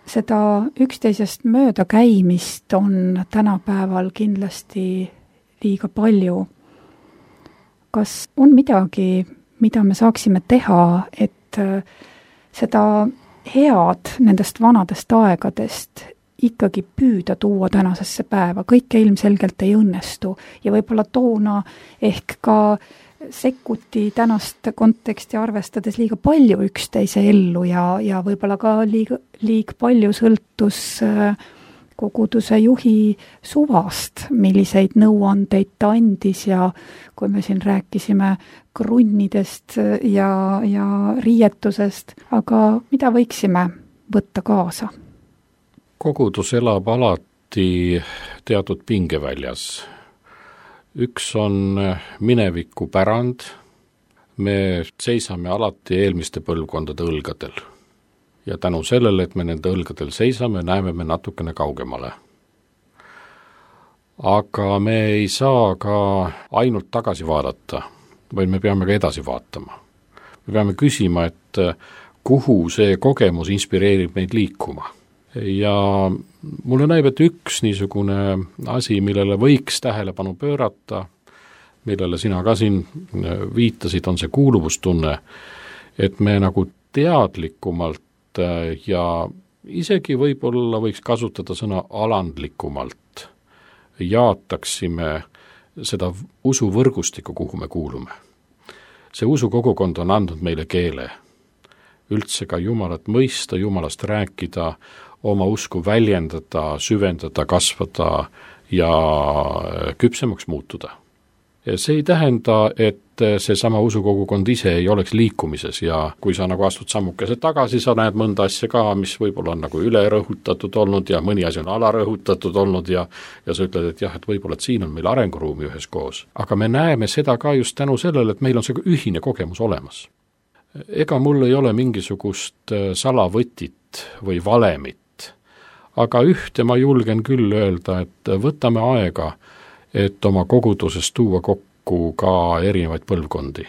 seda üksteisest mööda käimist on tänapäeval kindlasti liiga palju. Kas on midagi, mida me saaksime teha, et seda head nendest vanadest aegadest ikkagi püüda tuua tänasesse päeva? Kõike ilmselgelt ei õnnestu ja võib-olla toona ehk ka sekkuti tänast konteksti arvestades liiga palju üksteise ellu ja võib-olla ka liiga palju sõltus koguduse juhi suvast, milliseid nõuandeid ta andis ja kui me siin rääkisime krunnidest ja riietusest, aga mida võiksime võtta kaasa? Kogudus elab alati teatud pingeväljas. Üks on mineviku pärand, me seisame alati eelmiste põlvkondade õlgadel. Ja tänu sellele, et me nende õlgadel seisame, näeme me natukene kaugemale. aga me ei saa ka ainult tagasi vaadata, vaid me peame ka edasi vaatama. Me peame küsima, et kuhu see kogemus inspireerib meid liikuma. Ja mulle näib, et üks niisugune asi, millele võiks tähelepanu pöörata, millele sina ka siin viitasid, on see kuuluvustunne, et me nagu teadlikumalt ja isegi võib-olla võiks kasutada sõna alandlikumalt jaataksime seda usuvõrgustikku, kuhu me kuulume. See usukogukond on andnud meile keele, üldse ka Jumalat mõista, Jumalast rääkida, oma usku väljendada, süvendada, kasvada ja küpsemaks muutuda. Ja see ei tähenda, et seesama usukogukond ise ei oleks liikumises ja kui sa nagu astud sammukese tagasi, sa näed mõnda asja ka, mis võib-olla on nagu ülerõhutatud olnud ja mõni asi on alarõhutatud olnud ja sa ütled, et jah, et võib-olla et siin on meil arenguruumi üheskoos. Aga me näeme seda ka just tänu sellele, et meil on see ühine kogemus olemas. Ega mul ei ole mingisugust salavõtit või valemit, aga ühte ma julgen küll öelda, et võtame aega, et oma koguduses tuua kokku ka erinevaid põlvkondi.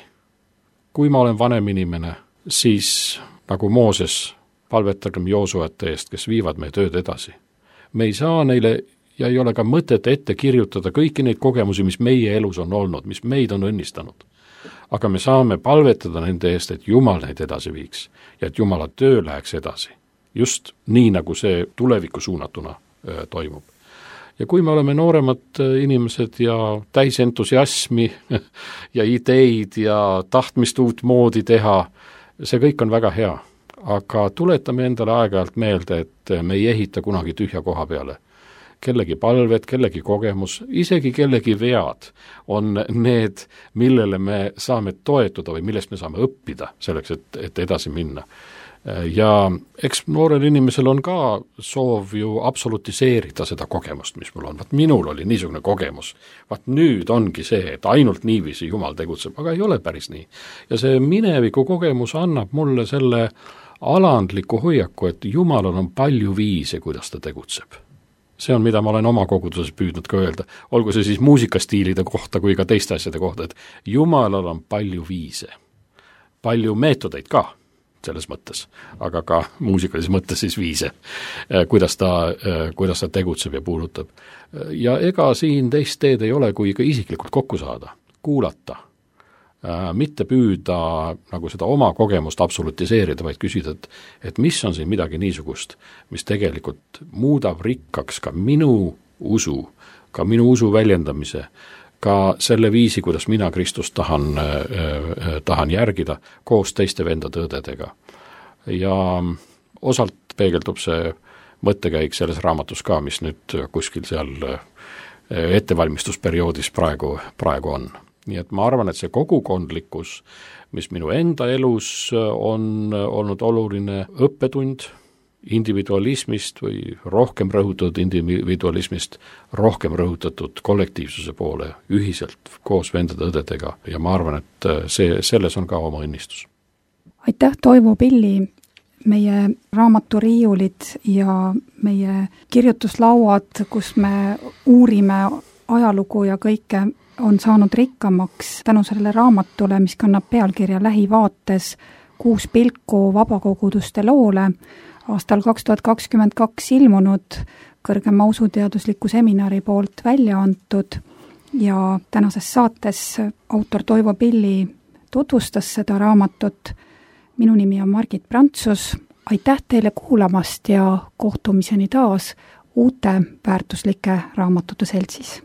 Kui ma olen vanem inimene, siis nagu Mooses, palvetagem Joosuate eest, kes viivad meie tööd edasi. Me ei saa neile ja ei ole ka mõtet ette kirjutada kõiki neid kogemusi, mis meie elus on olnud, mis meid on õnnistanud. Aga me saame palvetada nende eest, et Jumal neid edasi viiks ja et Jumala töö läheks edasi. Just nii, nagu see tulevikku suunatuna toimub. Ja kui me oleme nooremad inimesed ja täis entusiasmi ja ideid ja tahtmist uut moodi teha, see kõik on väga hea. Aga tuletame endale aeg-ajalt meelde, et me ei ehita kunagi tühja koha peale. Kellegi palved, kellegi kogemus, isegi kellegi vead on need, millele me saame toetuda või millest me saame õppida selleks, et edasi minna. Ja eks noorel inimesel on ka soov ju absolutiseerida seda kogemust, mis mul on. Vaat minul oli niisugune kogemus. Vaat nüüd ongi see, et ainult niiviisi Jumal tegutseb, aga ei ole päris nii. Ja see mineviku kogemus annab mulle selle alandliku hoiaku, et Jumalal on palju viise, kuidas ta tegutseb. See on, mida ma olen oma koguduses püüdnud ka öelda, olgu see siis muusikastiilide kohta kui ka teiste asjade kohta, et Jumalal on palju viise, palju meetodeid ka selles mõttes, aga ka muusikalises mõttes siis viise, kuidas ta tegutseb ja puudutab. Ja ega siin teist teed ei ole, kui ka isiklikult kokku saada, kuulata, mitte püüda nagu seda oma kogemust absolutiseerida, vaid küsida, et mis on siin midagi niisugust, mis tegelikult muudab rikkaks ka minu usu väljendamise, ka selle viisi, kuidas mina Kristust tahan järgida koos teiste vendade-õdedega. Ja osalt peegeldub see mõttekäik selles raamatus ka, mis nüüd kuskil seal ettevalmistusperioodis praegu on. Nii et ma arvan, et see kogukondlikkus, mis minu enda elus on olnud oluline õppetund individualismist või rohkem rõhutatud individualismist, rohkem rõhutatud kollektiivsuse poole ühiselt koos vendade-õdedega ja ma arvan, et selles on ka oma õnnistus. Aitäh, Toivo Pilli! Meie raamaturiiulid ja meie kirjutuslauad, kus me uurime ajalugu ja kõike, on saanud rikkamaks tänu sellele raamatule, mis kannab pealkirja Lähivaates 6 pilku vabakoguduste loole, aastal 2022 ilmunud kõrgema usuteadusliku seminari poolt välja antud ja tänases saates autor Toivo Pilli tutvustas seda raamatut. Minu nimi on Margit Prantsus. Aitäh teile kuulamast ja kohtumiseni taas uute väärtuslike raamatute seltsis.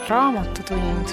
Raamatutund